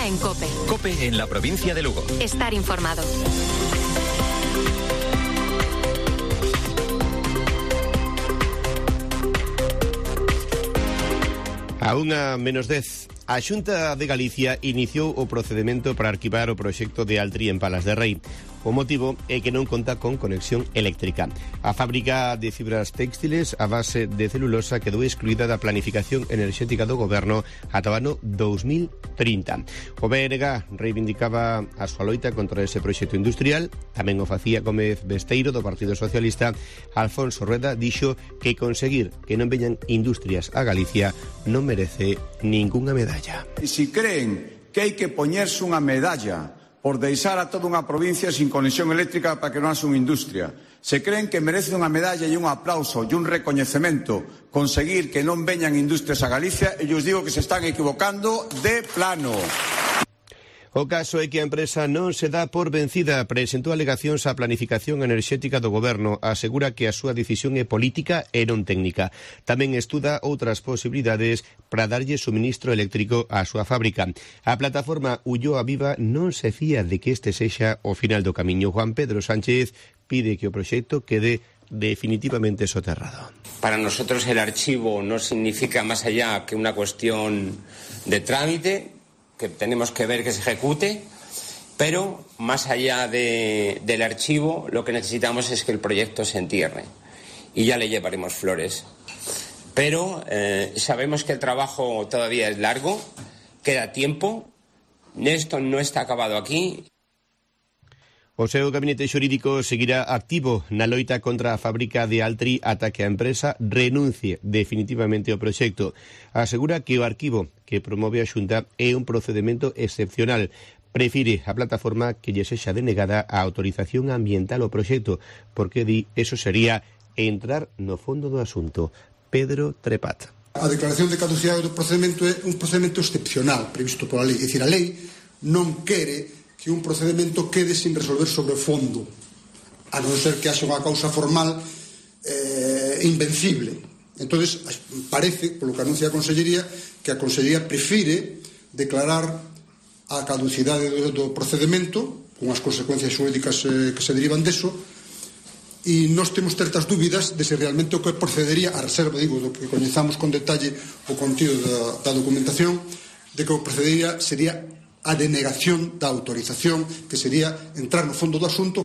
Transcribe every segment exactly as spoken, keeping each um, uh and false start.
Herrera en COPE. COPE en la provincia de Lugo. Estar informado. A unha menos dez, a Xunta de Galicia iniciou o procedemento para arquivar o proxecto de Altri en Palas de Rei. O motivo é que non conta con conexión eléctrica. A fábrica de fibras textiles a base de celulosa quedou excluída da planificación enerxética do goberno ata o ano dous mil trinta. O B N G reivindicaba a súa loita contra ese proxecto industrial. Tamén o facía Gómez Besteiro, do Partido Socialista. Alfonso Rueda dixo que conseguir que non veñan industrias a Galicia non merece ningunha medalla. E se creen que hai que poñerse unha medalla por deixar a toda unha provincia sin conexión eléctrica para que non haxa unha industria, se creen que merece unha medalla e un aplauso e un recoñecemento conseguir que non veñan industrias a Galicia, e os digo que se están equivocando de plano. O caso é que a empresa non se dá por vencida. Presentou alegacións á planificación enerxética do goberno. Asegura que a súa decisión é política e non técnica. Tamén estuda outras posibilidades para darlle suministro eléctrico á súa fábrica. A plataforma Ulloa Viva non se fía de que este sexa o final do camiño. Juan Pedro Sánchez pide que o proxecto quede definitivamente soterrado. Para nosotros el archivo no significa más allá que una cuestión de trámite, que tenemos que ver que se ejecute, pero más allá de, del archivo lo que necesitamos es que el proyecto se entierre y ya le llevaremos flores. Pero eh, sabemos que el trabajo todavía es largo, queda tiempo, esto no está acabado aquí. O seu gabinete xurídico seguirá activo na loita contra a fábrica de Altri ata que a empresa renuncie definitivamente ao proxecto. Asegura que o arquivo que promove a Xunta é un procedimento excepcional. Prefire a plataforma que lle sexa denegada a autorización ambiental ao proxecto, porque di eso sería entrar no fondo do asunto. Pedro Trepat. A declaración de caducidade do procedimento é un procedimento excepcional previsto pola lei. É dicir, a lei non quere que un procedimento quede sin resolver sobre o fondo, a non ser que haxa unha causa formal eh, invencible. Entonces parece, polo que anuncia a Consellería, que a Consellería prefire declarar a caducidade do, do procedimento con as consecuencias xurídicas eh, que se derivan deso, e nós temos certas dúbidas de se realmente o que procedería a reserva, digo, do que coñezamos con detalle o contido da, da documentación, de que o procedería sería a denegación da autorización, que sería entrar no fondo do asunto.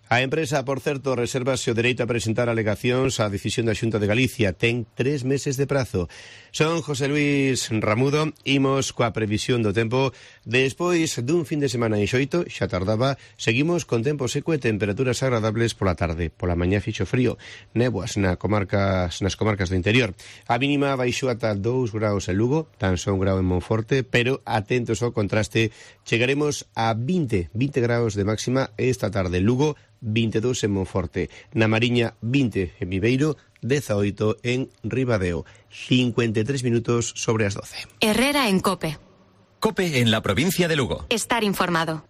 A empresa, por certo, resérvase o dereito a presentar alegacións á decisión da Xunta de Galicia. Ten tres meses de prazo. Son José Luis Ramudo, imos coa previsión do tempo. Despois dun fin de semana enxoito, xa tardaba, seguimos con tempo seco e temperaturas agradables pola tarde. Pola mañá fixo frío, néboas na comarcas, nas comarcas do interior. A mínima baixou ata dous graus en Lugo, tan só un grau en Monforte, pero atentos ao contraste, chegaremos a vinte graus de máxima esta tarde en Lugo, vinte e dous en Monforte, na Mariña vinte en Viveiro, dezaoito en Ribadeo. cincuenta e tres minutos sobre as doce. Herrera en COPE. COPE en la provincia de Lugo. Estar informado.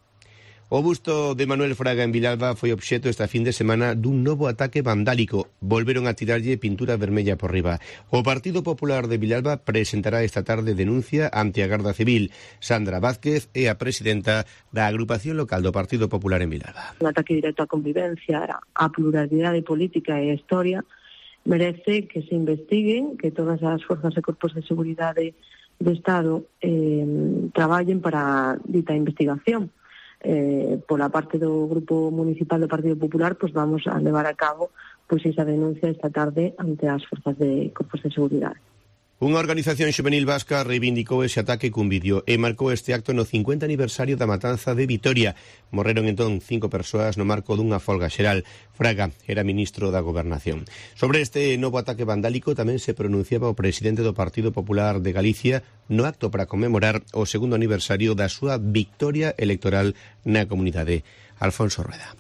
O busto de Manuel Fraga en Vilalba foi obxecto esta fin de semana dun novo ataque vandálico. Volveron a tirarlle pintura vermella por riba. O Partido Popular de Vilalba presentará esta tarde denuncia ante a Garda Civil. Sandra Vázquez é a presidenta da agrupación local do Partido Popular en Vilalba. Un ataque directo á convivencia, á pluralidade política e a historia, merece que se investiguen, que todas as forzas e corpos de seguridade do Estado eh, traballen para dita investigación. Eh, pola parte do Grupo Municipal do Partido Popular, pues vamos a levar a cabo pues esa denuncia esta tarde ante as forzas de corpos de seguridade. Unha organización xuvenil vasca reivindicou ese ataque cun vídeo e marcou este acto no cincuenta aniversario da matanza de Vitoria. Morreron entón cinco persoas no marco dunha folga xeral. Fraga era ministro da Gobernación. Sobre este novo ataque vandálico tamén se pronunciaba o presidente do Partido Popular de Galicia no acto para conmemorar o segundo aniversario da súa victoria electoral na comunidade. Alfonso Rueda.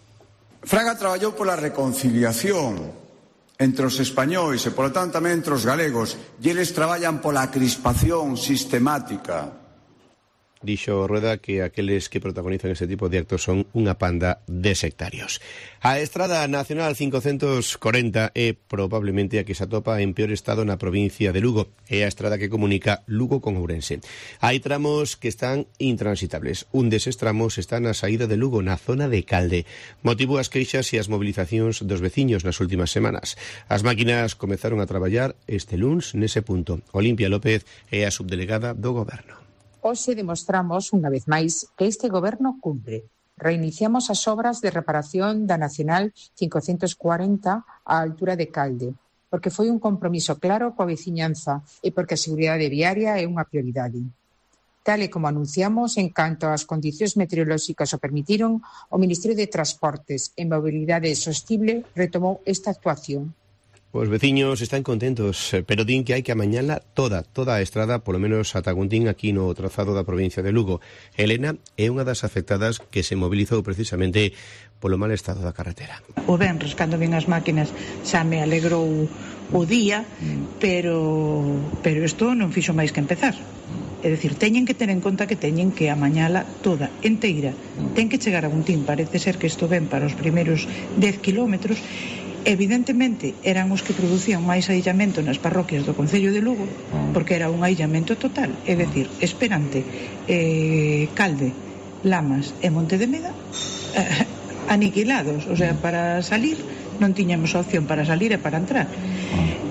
Fraga traballou pola reconciliación entre os españois e, polo tanto, tamén entre os galegos, e eles traballan pola crispación sistemática. dixo Rueda que aqueles que protagonizan este tipo de actos son unha panda de sectarios. A Estrada Nacional cincocentos corenta é probablemente a que se atopa en peor estado na provincia de Lugo. É a estrada que comunica Lugo con Ourense. Hai tramos que están intransitables. Un deses tramos está na saída de Lugo, na zona de Calde. Motivo as queixas e as mobilizacións dos veciños nas últimas semanas. As máquinas comezaron a traballar este luns nese punto. Olimpia López é a subdelegada do Goberno. Hoxe demostramos, unha vez máis, que este goberno cumpre. Reiniciamos as obras de reparación da Nacional cincocentos cuarenta á altura de Calde, porque foi un compromiso claro coa veciñanza e porque a seguridade viaria é unha prioridade. Tal e como anunciamos, en canto as condicións meteorolóxicas o permitiron, o Ministerio de Transportes e Mobilidade Sostible retomou esta actuación. Os veciños están contentos, pero din que hai que amañala toda, toda a estrada, polo menos ata Guntín, aquí no trazado da provincia de Lugo. Elena é unha das afectadas que se mobilizou precisamente polo mal estado da carretera. O venres, cando vin as máquinas, xa me alegrou o día, pero pero isto non fixo máis que empezar. É dicir, teñen que ter en conta que teñen que amañala toda, enteira. Ten que chegar a Guntín, parece ser que isto ven para os primeiros dez kilómetros. Evidentemente eran os que producían máis aillamento nas parroquias do Concello de Lugo, porque era un aillamento total, é dicir, Esperante, eh, Calde, Lamas e Monte de Meda eh, aniquilados, o sea, para salir non tiñamos opción para salir e para entrar,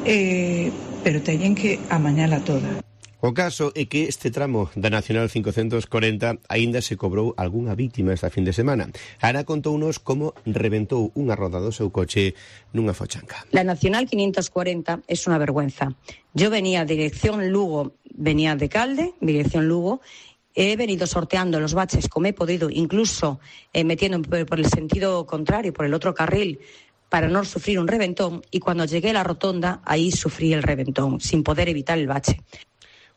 eh, pero teñen que amañala toda. O caso é que este tramo da Nacional cincocentos corenta aínda se cobrou algunha vítima esta fin de semana. Ana contounos como reventou unha roda do seu coche nunha fochanca. La Nacional quinientos cuarenta es una vergüenza. Yo venía dirección Lugo, venía de Calde, dirección Lugo. He venido sorteando los baches como he podido, incluso eh, metiendo por el sentido contrario, por el otro carril, para no sufrir un reventón. Y cuando llegué a la rotonda, ahí sufrí el reventón, sin poder evitar el bache.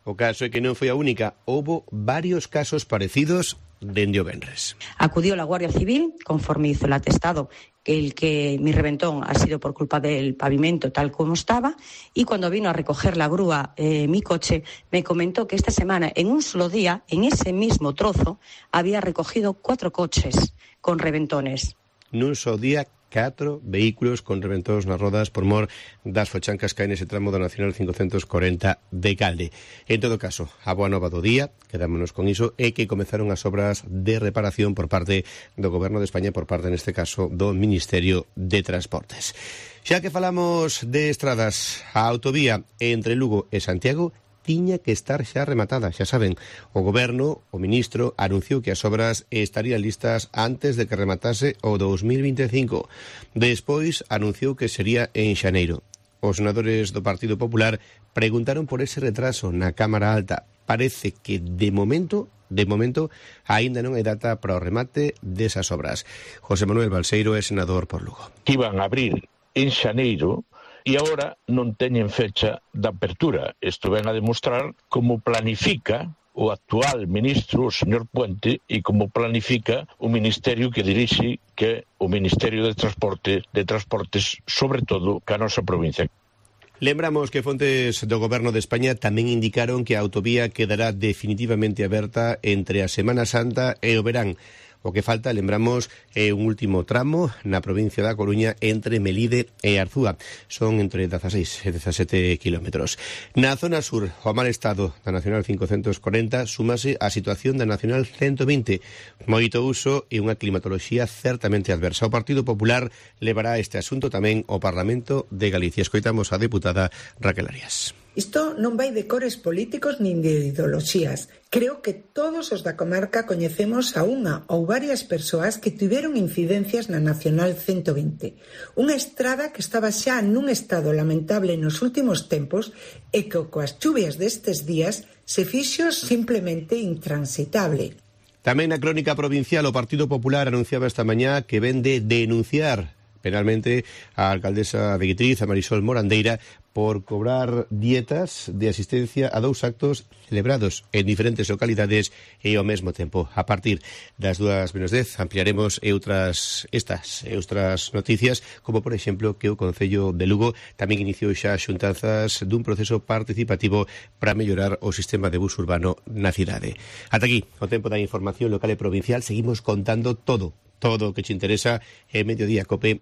O caso é que non foi a única. Houbo varios casos parecidos dende o venres. Acudió la Guardia Civil, conforme hizo el atestado, que el que mi reventón ha sido por culpa del pavimento tal como estaba, y cuando vino a recoger la grúa eh, mi coche, me comentó que esta semana, en un solo día, en ese mismo trozo, había recogido cuatro coches con reventones. Nun só día, catro vehículos con reventóns nas rodas por mor das fochancas que hai nese tramo da Nacional cincocentos corenta de Calde. En todo caso, a boa nova do día, quedámonos con iso, é que comezaron as obras de reparación por parte do Goberno de España, por parte, neste caso, do Ministerio de Transportes. Xa que falamos de estradas, a autovía entre Lugo e Santiago tiña que estar xa rematada, xa saben. O Goberno, o Ministro, anunciou que as obras estarían listas antes de que rematase o dous mil vinte e cinco. Despois anunciou que sería en xaneiro. Os senadores do Partido Popular preguntaron por ese retraso na Cámara Alta. Parece que, de momento, de momento, aínda non hai data para o remate desas obras. José Manuel Balseiro é senador por Lugo. Iban a abrir en xaneiro e agora non teñen fecha de apertura. Isto ven a demostrar como planifica o actual ministro, o señor Puente, e como planifica o ministerio que dirixe, que é o Ministerio de Transporte, de Transportes, sobre todo, ca nosa provincia. Lembramos que fontes do Goberno de España tamén indicaron que a autovía quedará definitivamente aberta entre a Semana Santa e o verán. O que falta, lembramos, é un último tramo na provincia da Coruña entre Melide e Arzúa. Son entre dezaseis e dezasete kilómetros. Na zona sur, o mal estado da Nacional cincocentos corenta súmase a situación da Nacional ciento vinte. Moito uso e unha climatoloxía certamente adversa. O Partido Popular levará este asunto tamén ao Parlamento de Galicia. Escoitamos a deputada Raquel Arias. Isto non vai de cores políticos nin de ideoloxías. Creo que todos os da comarca coñecemos a unha ou varias persoas que tiveron incidencias na Nacional ciento vinte. Unha estrada que estaba xa nun estado lamentable nos últimos tempos e que coas chuvias destes días se fixo simplemente intransitable. Tamén na crónica provincial o Partido Popular anunciaba esta mañá que ven de denunciar penalmente a alcaldesa de Guitriz, a Marisol Morandeira, por cobrar dietas de asistencia a dous actos celebrados en diferentes localidades e ao mesmo tempo. A partir das dúas menos dez ampliaremos e outras estas e outras noticias, como por exemplo que o Concello de Lugo tamén iniciou xa xuntanzas dun proceso participativo para mellorar o sistema de bus urbano na cidade. Ata aquí o tempo da información local e provincial. Seguimos contando todo, todo o que te interesa en Mediodía Cope.